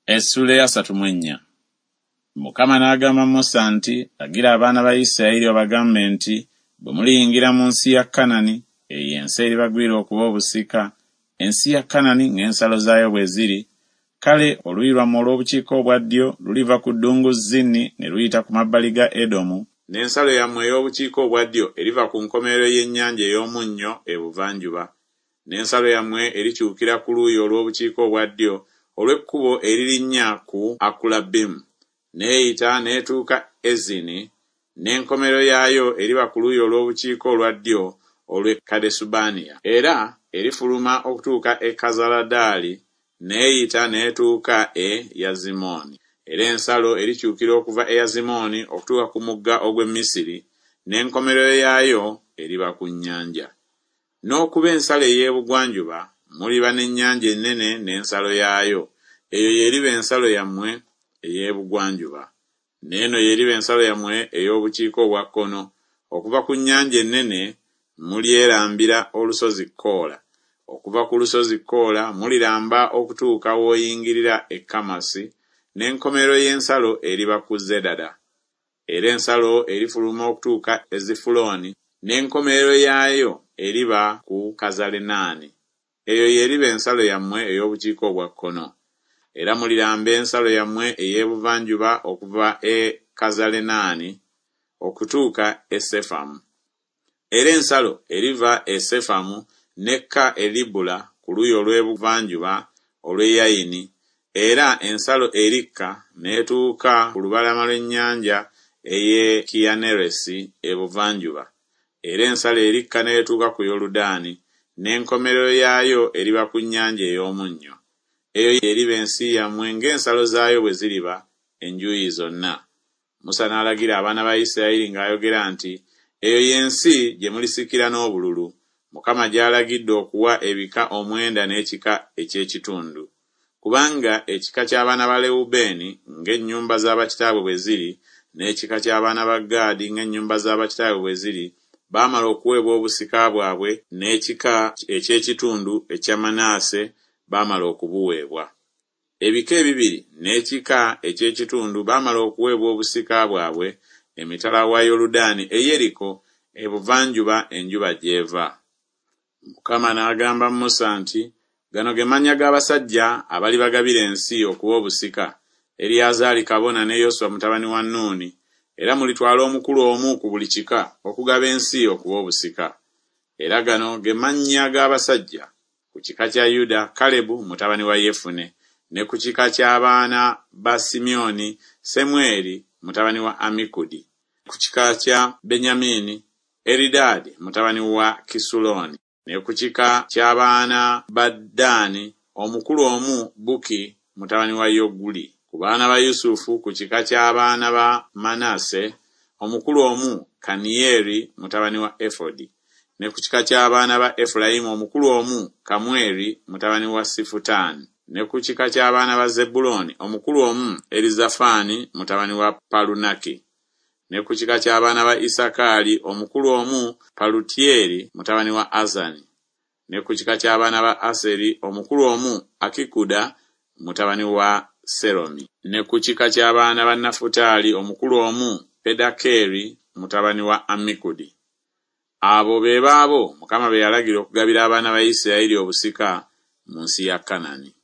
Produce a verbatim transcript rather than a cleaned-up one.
Essuula ey'asatu mu ennya. Mukama n'agamba Musa nti, Lagira abaana ba Isirayiri obagambe nti, Bwe muliyingira mu nsi ya Kanani, eyo ensi eribagwira okuba obusika, ensi ya Kanani ng'ensalo zaayo bwe ziri, kale oluuyi lwammwe olw'obukiika obwa ddyo luliva ku ddungu Zini ne luyita ku mabbali ga Edomu, n'ensalo yammwe ey'obukiika obwa ddyo eriva ku nkomerero y'Ennyanja ey'Omunnyo ebuvanjuba, n'ensalo yammwe erikyukira ku luuyi olw'obukiika obwa ddyo olw'ekkubo eririnnya ku Akulabimu, n'eyita n'etuuka Ezini, n'enkomerero yaayo eriba ku luuyi olw'obukiika olwa ddyo olw'e Kadesubanea. Era erifuluma okutuuka e Kazaladaali, n'eyita n'etuuka e Yazimooni. Era ensalo erikyukira okuva e Yazimooni okutuuka ku mugga ogw'e Misiri, n'enkomerero yaayo eriba ku nnyanja. N'okuba ensalo ey'ebugwanjuba muliba n'ennyanja ennene n'ensalo yaayo, eyo y'eriba ensalo yammwe ey'ebugwanjuba. N'eno y'eriba ensalo yammwe ey'obukiika obwa kkono, okuva ku nnyanja ennene mulyerambira olusozi Koola, okuva ku lusozi Koola muliramba okutuuka w'oyingirira e Kamasi, n'enkomerero y'ensalo eriba ku Zedada. Era ensalo erifuluma okutuuka e Zifulooni, n'enkomerero yaayo eriba ku Kazalenaani. Eyo y'eriba ensalo yammwe ey'obukiika obwa kkono. Era muliramba ensalo yammwe ey'ebuvanjuba okuva e Kazalenaani okutuuka e Sefamu. Era ensalo eriva e Sefamu n'ekka e Libula ku luuyi olw'ebuvanjuba olw'e Yayini, era ensalo erikka n'etuuka ku lubalama lw'ennyanja ey'e Kinneresi ebuvanjuba, era ensalo erikka n'etuuka ku Yoludaani, n'enkomerero yaayo eriba ku Nnyanja ey'Omunnyo. Eyo y'eriba ensi yammwe ng'ensalo zaayo bwe ziriba enjuuyi zonna. Musa n'alagira abaana ba Isirayiri ng'ayogera nti, Eyo y'ensi gye mulisikira n'obululu, Mukama gy'alagidde okuwa ebika omwenda n'ekika eky'ekitundu. Kubanga ekika ky'abaana ba Lewubeeni ng'ennyumba za bakitaabwe bwe ziri, n'ekika ky'abaana ba Gaadi ng'ennyumba za bakitaabwe bwe ziri, baamala okuweebwa obusika bwabwe, n'ekika eky'ekitundu ekya Manase baamala okubuweebwa. Ebika ebibiri n'ekika eky'ekitundu baamala okuweebwa obusika bwabwe emitala wa Yoludaani e Yeriko ebuvanjuba enjuba gy'eva. Mukama n'agamba Musa nti, Gano ge mannya g'abasajja abalibagabira ensi okuba obusika, Eriyazaali kabona ne Yoswa mutabani wa Nuuni, era mulitwala omukulu omu ku buli kika okugaba ensi okuba obusika. Era gano ge mannya g'abasajja: ku kika kya Yuda, Kalebu mutabani wa Yefune, ne ku kika ky'abaana ba Simyoni, Semweri mutabani wa Amikudi, ku kika kya Benyamini, Eridaadi mutabani wa Kisulooni, ne ku kika ky'abaana ba Ddaani, omukulu omu Buki mutabani wa Yoguli. Ku baana ba Yusufu, ku kika ky'abaana ba Manase, omukulu omu Kaniyeri mutabani wa Efodi, ne ku kika ky'abaana ba Efulayimu omukulu omu Kamweri mutabani wa Sifutaani, ne ku kika ky'abaana ba Zebbulooni omukulu omu Erizafaani mutabani wa Palunaki, ne ku kika ky'abaana ba Isakaali omukulu omu Palutyeri mutabani wa Azani, ne ku kika ky'abaana ba Aseri omukulu omu Akikuda mutabani wa Seromi, ne ku kika ky'abaana ba Nafutaali omukulu omu Pedakeeri mutabani wa Ammikudi. Abo be baabo Mukama be yalagira okugabira abaana ba Isirayiri obusika mu nsi ya Kanani.